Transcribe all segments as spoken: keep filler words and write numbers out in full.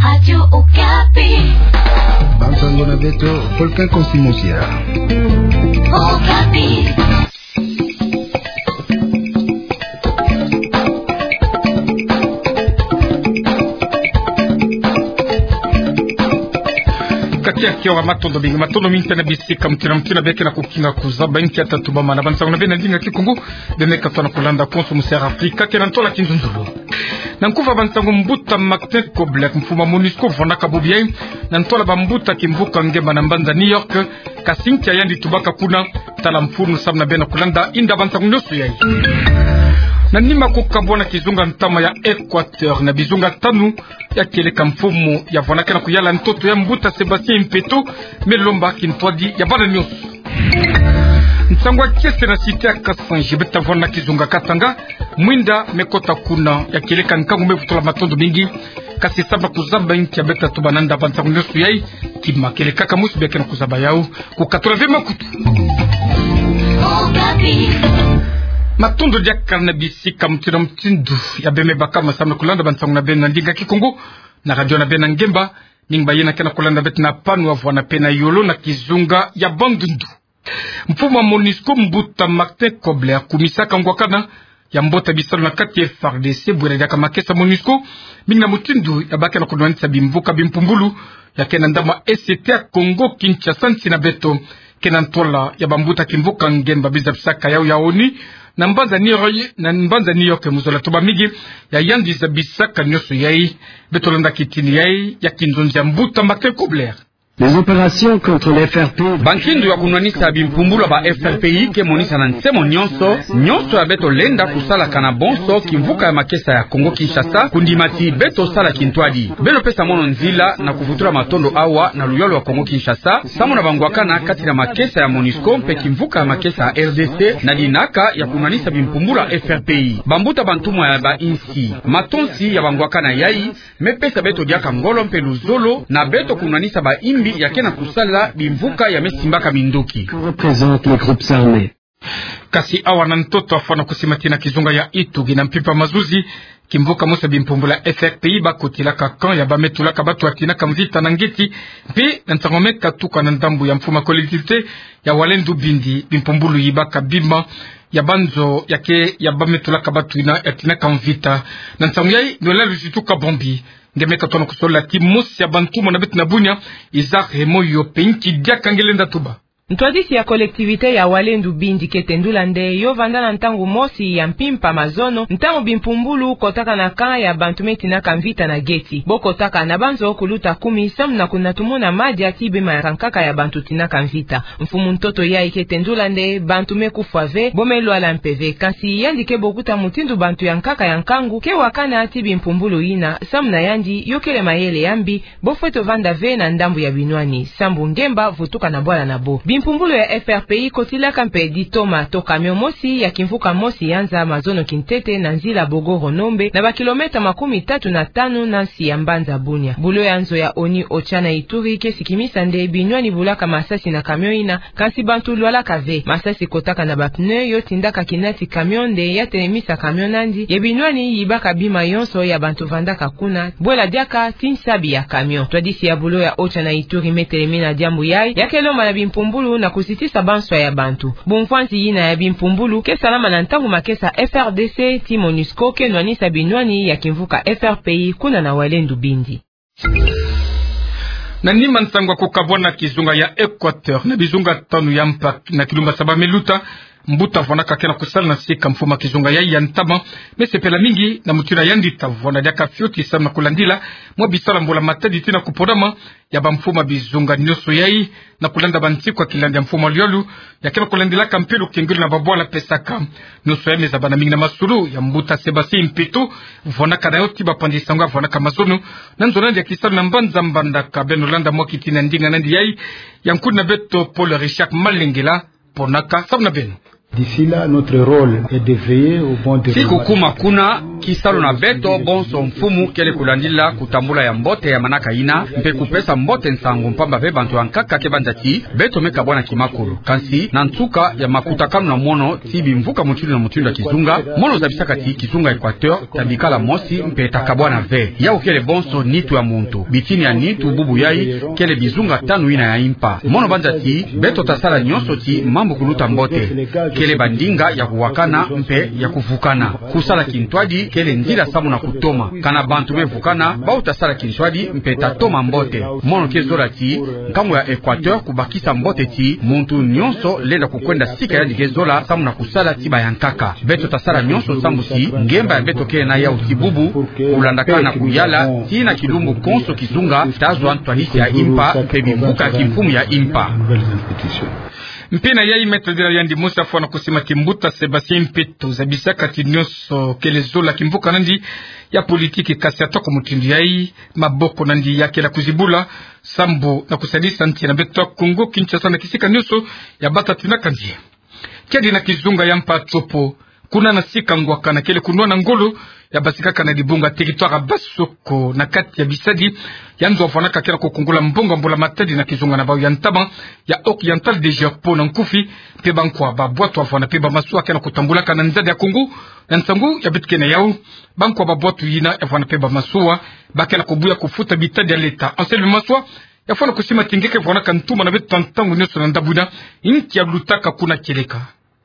Radio Okapi. Bansango na beto, Volcan Consimonsia. Okapi. Kati ya kiora, matondo mingi, matondo mingi ta na bisika mutindu na mutindu bie ke na kukinga kuzaba nkia ta tubama na bansango na beno na ndinga Kikongo, bie me katoa na kulanda konso mu Sera Afrika ke na ntola kinzonzolo. Na nkufa bansango, mbuta Martin Kobler, mfumu a MONUSCO, vwanaka bobo yai na ntola bambuta kimvuka ngemba na mbanza New York, kasi nkia yandi tubaka kuna, tala mfunu samu na beno na kulanda inda bansango nyonso yai. Na nima kukabwana kizunga ntama ya Equateur na bizunga tanu, ya kieleka mfumu ya vwanaka na kuyala ntoto ya mbuta Sébastien Impeto, me lomba kintwadi ya bana nyonso. Nsangu ya kiese na site ya Kasanji, beta vwana kizunga Katanga, mwinda me kota kuna, ya kieleka nkangu me vutula matondo mingi, kasi samu na kuzaba nkia beta tuba na nda bansango nyonso yai, kima kieleka ka musi bie ke na kuzaba yau, kukatula ve makutu. Matondo diaka na bisika mutindu na mutindu ya bie me bakama samu na kulanda bansango na beno na ndinga Kikongo, na radio na beno na ngemba, mingi ba yina ke na kulanda beto na pano, wavwana pe na yolo na kizunga ya Bandundu. Mfumu a MONUSCO, mbuta Martin Kobler, kumisaka ngwakana ya mbota bisalu na kati F R D C, bwela diaka makesa MONUSCO, mingi na mutindu ya bake na kunwanisa bimvuka bimpumbulu ya ke na ndama S T ya Congo Kinshasa nsi na beto, ke na ntola ya bambuta kimvuka ngemba bizabisaka yau ya ONU na mbanza New York, na mbanza New York, mu zola tuba mingi ya yandi zabisaka nyonso yai. Beto landa kitini yai ya kinzonzi ya mbuta Martin Kobler. Les opérations contre l'F R P. Bankindu ya kunwanisa bimpumbulu ya ba F R P I ke monisana nsemo nyonso, nyonso ya beto lenda kusalaka na bonso kimvuka ya makesa ya Congo Kinshasa, kundima ti beto sala kintwadi. Beno pesa mono nzila na kuvutula matondo awa na luyalu ya Congo Kinshasa, samu na bangwakana kati na makesa ya MONUSCO mpe kimvuka ya makesa ya R D C, na dinaka ya kunwanisa bimpumbulu ya F R P I. Bambuta bantumwa ya ba insi, matonsi ya bangwakana yai, me pesa beto diaka ngolo mpe luzolo na beto kunwanisa ba imbi ya ke na kusala bimvuka ya me simbaka minduki. Que représentent les groupes armés. Kasi awa na ntoto afwana kusima ti na kizunga ya Ituri na mpimpa mazuzi, kimvuka mosi ya bimpumbulu ya F R P I bakotilaka camp ya ba me tulaka batu ya tinaka mvita na ngeti, mpe na ntangu me katuka na ndambu ya mfumu a collectivité ya Walendu Bindi, bimpumbulu yibaka bima ya banzo ya ke ya ba me tulaka batu yina ya tinaka mvita. Na ntangu yai, Noël Luzitu Kabombi, nge me katoa na kusolola ti mosi ya bantumwa na beto na Bunia, Isaac Remoyo, mpe nki diaka nge lenda tuba. Ntwadisi ya collectivité ya Walendu Bindi kete ndula nde yo vanda na ntangu mosi ya mpimpa mazono, ntangu bimpumbulu kotaka na camp ya bantu me tinaka mvita na geti. Bo kotaka na banzo kuluta kumi samu na kunatumuna madia ti bima ya nkaka ya bantu tinaka mvita. Mfumu ntoto yai kete ndula nde bantu me kufwa ve, bo me lwala mpe ve. Kansi yandi ke bokuta mutindu bantu ya nkaka ya nkangu ke wakana ti bimpumbulu yina, samu na yandi yo kele mayele ya mbi, bo fwete vanda ve na ndambu ya binwani, sambu ngemba vutuka na bwala na bo. Bimpumbulu ya F R P I kotilaka mpe ditoma to camion mosi ya kimvuka mosi ya nza mazono kintete na nzila Bogoro-Nombe, na ba kilomètre makumi tatu na tanu na nsi ya mbanza Bunia. Bulo ya nzo ya ONU OCHA na Ituri ke sikimisa nde binwani bulaka masasi na camion yina, kansi bantu lwalaka ve. Masasi kotaka na ba pneu yo tindaka kinati camion nde ya telemisa camion nandi, ye binwani yibaka bima yonso ya bantu vandaka kuna, bwela diaka ti nsabi ya camion. Ntwadisi ya bulo ya OCHA na Ituri me telemina diambu yai, ya ke lomba na bimpumbulu na kuzitisa banswa ya bantu. Bumfwanzi yina ya bimpumbulu ke salama na ntangu makesa F R D C ti MONUSCO ke nwanisa binwani ya kimvuka F R P I kuna na Walendu Bindi. Na nima nsangu ya kukabwana kizunga ya Equateur na bizunga tanu ya mpa na kilumba saba me luta, mbuta vwanaka ke na kusala na sika mfumu a kizunga yai ya ntama, me sepela mingi na mutindu yandi ta vwanda diaka fioti samu na kulandila mwa bisalu ya mbula-matadi tii na kupodama ya bamfumu a bizunga nyonso yai, na kulanda bansiku ya kilandi ya mfumu a luyalu, ya ke na kulandilaka mpe lukengelo na babwala pesaka. Nyonso yai me zabana mingi na masolo ya mbuta Sébastien Impeto, vwanaka na yo ti bapanzi nsangu ya vwanaka mazono na nzo na yandi ya kisalu na mbanza Mbandaka. Beno landa mwa kitini ya ndinga na yandi yai, ya nkudi na beto Paul Richard Malengela, ponaka samu na beno. D'ici là, notre rôle est de veiller au bon déroulement. Ti kukuma kuna, kisalu na beto bonso mfumu kele kulandila kutambula ya mbote ya manaka yina, mpe kupesa mbote nsangu mpamba ve bantu ya nkaka ke banza ti beto me kabwana kimakulu. Kansi, na nsuka ya makutakanu na mono ti bimvuka mutindu na mutindu ya kizunga, mono zabisaka ti kizunga Equateur tabikala mosi mpe takabwana ve. Yawu kele bonso nitu ya muntu. Bitini ya nitu bubu yayi kele bizunga tanu yina ya impa. Mono banza ti beto tasala nyonso ti mambu kuluta mbote. Kele bandinga ya kuwakana mpe ya kuvukana. Kusala kintwadi kele nzila samu na kutoma. Kana bantu me vukana, bawu tasala kintwadi mpe tatoma mbote. Mono ke zola ti nkangu ya Equateur kubakisa mbote ti muntu nyonso lenda kukwenda sika yandi ke zola samu na kusala ti bayankaka. Beto tasala nyonso sambu ti ngemba ya beto kele na yawu ti bubu, kulandakana kuyala, ti na kilumbu konso kizunga tazwa ntwadisi ya impa mpe bimvuka kimfumu ya impa. Mpe na yayi, maître de la yandi mosi afwana kusima ti mbuta Sébastien Mpeto zabisaka ti nyonso kele zola kimvuka nandi ya politiki, kasi atako mutindu yayi, maboko nandi yakela kuzibula sambu na kusadisa nsi na beto ya Kongo Kinshasa na kisika nyonso ya bata tinaka nzie. Kiadi na kizunga ya mpa Tshopo, kuna na sika ngwakana kele kunwana ngolo ya basikaka na dibunga territoire ya Basoko na kati ya bisadi ya nzo avwanaka ke na kukungula mbongo ya mbula matadi na kizunga na bawu ya ntama ya Oriental de Gerpo na nkufi, mpe bankwa ba bwatu avwana mpe ba masuwa ke na kutambulaka na nzadi ya Kongo. Na nsangu ya beto ke na yawu, bankwa ba bwatu yina yavwana mpe ba masuwa, ba ke na kubuya kufuta bitadi ya leta. Anselme Maswa yafwana kusima ti nge ke vwanaka ntuma na beto ntangu nyonso na ndambu yina, inki yalutaka kuna kieleka?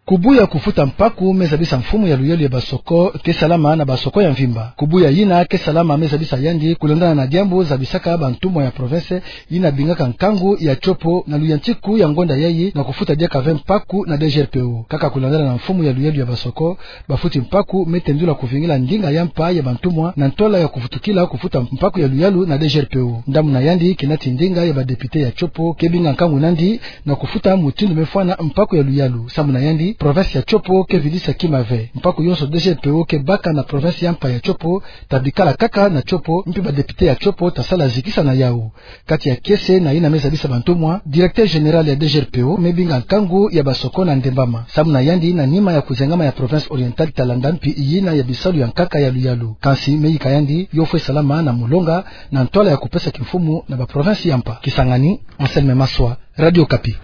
Kubuya kufuta mpaku me zabisa mfumu ya luyalu ya Basoko ke salama na Basoko ya mvimba. Kubuya yina ke salama me zabisa yandi kulandana na diambu zabisaka bantumwa ya province yina bingaka nkangu ya Tshopo na luyantiku ya ngonda yayi na kufuta diaka ve mpaku na D G R P O. Kaka kulandana na mfumu ya luyalu ya Basoko, bafuti mpaku me tendula kuvingila ndinga ya mpa ya bantumwa na ntwala ya kuvutukila kufuta mpaku ya luyalu na D G R P O. Ndambu na yandi kina ti ndinga ya ba député ya Tshopo ke binga nkangu nandi na kufuta mutindu me fwana mpaku ya luyalu. Sambu na yandi, province ya Tshopo ke vidisa kima ve. Mpaku yonso D G R P O ke baka na province ya mpa ya Tshopo tabikala kaka na Tshopo, mpe ba député ya Tshopo tasala zikisa na yawu. Kati ya kiese na yina me zabisa bantumwa, directeur général ya D G R P O me binga nkangu ya Basoko na Ndembama. Sambu na yandi, na nima ya kuzengama ya province orientale talanda mpi yina ya bisalu ya nkaka ya luyalu. Kansi me yika yandi yo fwe salama na mulonga na ntwala ya kupesa kimfumu na ba province ya mpa. Kisangani, Anselme Maswa, Radio Okapi.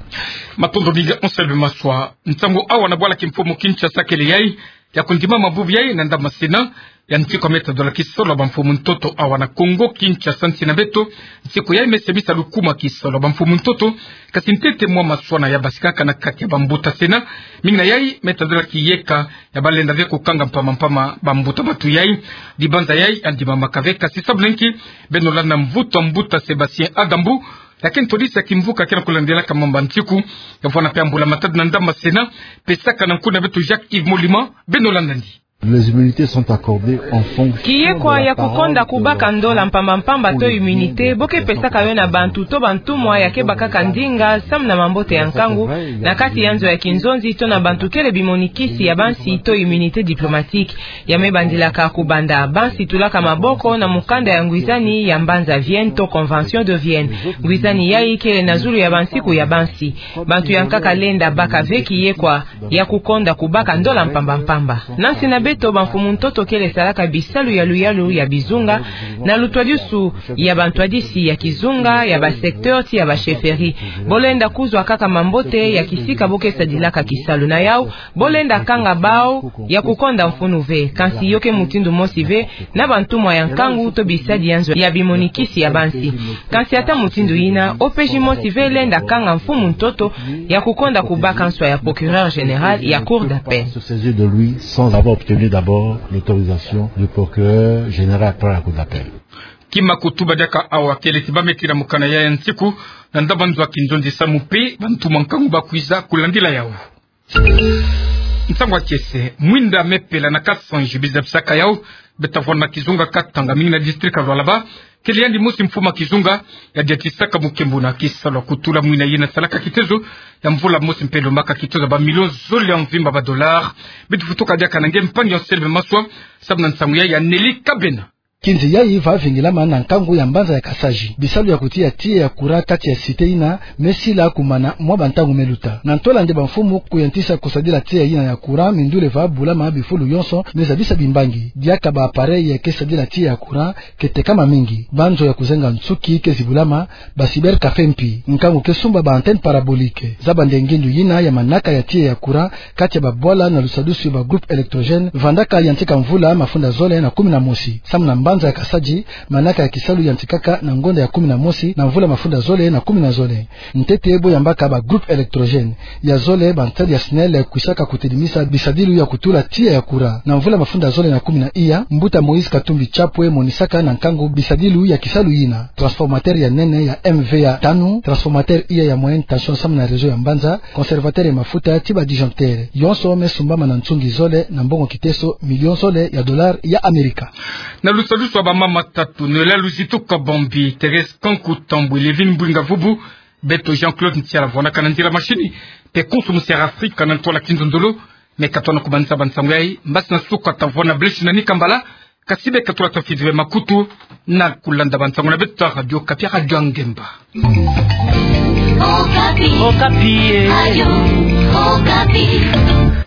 Matondo mingi Anselme Maswa. Nsangu awa na bwala kimfumu Kinshasa kele yayi ya kundima mabubu yayi na ndambu ma Sénat ya nsiku ya meta dola kisalu ya bamfumu ntoto awa na Kongo Kinshasa, nsi na beto. Nsiku yayi me semisa lukuma kisalu ya bamfumu ntoto, kasi ntete mwa maswana ya basikaka na kati ya bambuta Sénat. Mingi na yayi meta dola kiyeka ya balenda ve kukanga mpamba mpamba bambuta batu yayi. Dibanza yayi yandi mamaka ve, kasi sabu na nki? Beno landa mvutu ya mbuta Sébastien Agambu, ya ke ntwadisi ya kimvuka ke na kulandelaka mambu ya nsiku, ya vwana mpe ya mbula matadi na ndambu ma Sénat, pesaka na nkuna beto Jacques Yves Molima. Beno landa ndi. Les immunités sont accordées en fonction de la proportion. Kiyekwa ya kukonda kubaka ndola mpamba mpamba to immunité, bo ke pesaka yo na bantu to bantumwa ya ke bakaka ndinga samu na mambote ya nkangu, na kati ya nzo ya kinzonzi to na bantu kele bimonikisi ya bansi to immunité diplomatique. Ya me bandilaka kubanda bansi tulaka maboko na mukanda ya ngwizani ya mbanza Vienne to Convention de Vienne. Ngwizani yayi kele na zulu ya bansiku ya bansi. Bantu ya nkaka lenda baka ve kiyekwa ya kukonda kubaka ndola mpamba mpamba. Na nsi na beto, bamfumu ntoto kele salaka bisalu ya luyalu ya bizunga, na lutwadisu ya bantwadisi ya kizunga, ya ba secteur ti ya ba chefferie. Bo lenda kuzwa kaka mambote ya kisika bo ke sadilaka kisalu na yawu, bo lenda kanga bawu ya kukonda mfunu ve. Kansi yo ke mutindu mosi ve na bantumwa ya nkangu to bisadi ya nzo ya bimonikisi ya bansi. Kansi ata mutindu yina, O P J mosi ve lenda kanga mfumu ntoto ya kukonda kubaka nswa ya procureur général ya Cour d'appel. Se saisir de lui sans avoir obtenu d'abord l'autorisation du procureur général par la Cour d'appel. Kima kutuba diaka awa kele ti ba me tira mukanda ya ya nsiku na ndambu ma nzo ya kinzonzi samu mpe bantumwa nkangu ba kwiza kulandila yawu. Nsangu ya kiese, mwinda me pela na Kasanji, biza bisaka yawu, beta vwana na kizunga Katanga, mingi na district ya Lualaba, kele yandi mosi mfumu ya kizunga ya diatisaka mukembo na kisalu ya kutula mwina yina salaka kitezo ya mvula mosi mpe lombaka kitezo ya ba millions zole ya mvimba ba dollars. Beto vutuka diaka na nge mpangi Anselme Maswa, samu na nsangu ya ya Nelly Kabena. Kinzi yayi va vingilama na nkangu ya mbanza ya Kasaji. Bisalu ya kutiya tiya ya kura kati ya cité yina me sila kumana mwa bantangu me luta. Na ntola nde bamfumu kuyantisa kusadila tiya yina ya kura, mindule va bulama bifulu yonso me zabisa bimbangi. Diaka ba appareil ke sadila tiya ya kura ke tekama mingi. Banzo ya kuzenga nsuki ke zibulama, ba cybercafé mpi. Nkangu ke sumba ba antenne parabolique. Zaba nde ngindu yina ya manaka ya tiya ya kura kati ya babwala na lusadusu ya ba groupe électrogène vandaka yantika mvula mafunda zole na kumi na mosi. Samu na mbanza ya Kasaji, manaka ya kisalu yantikaka na ngonda ya kumi na mosi na mvula mafunda zole na kumi na zole. Ntete bo yambaka ba groupe électrogène. Ya zole, ba ntadi ya SNEL kwisaka kutidimisa bisadilu ya kutula tiya ya kura. Na mvula mafunda zole na kumi na iya, mbuta Moïse Katumbi Chapwe monisaka na nkangu bisadilu ya kisalu yina: transformateur ya nene ya M V A tanu, transformateur iya ya moyenne tension samu na réseau ya mbanza, conservateur ya mafuta ti ba disjoncteur. Yonso me sumbama na nsungi zole na mbongo kiteso million zole ya dollar ya Amerika. Na lusadusu ya bamama tatu, Noëlla Luzitu Kabambi, Thérèse Kanku Tambwe, Lévine Mbwinga Vubu, beto Jean-Claude Ntiala vwanaka na nzila mashini, mpe konso musi ya Afrika na ntola kinzonzolo. Me ka tona kumanisa bansangu yayi, mbasi na suka tavwanda blesi na ni kambala, kasi be ka tula tafidi ve makutu na kulanda bansangu na beto ta Radio Okapi, Radio ya Ngemba. Okapi. Okapi, eh. Radio Okapi.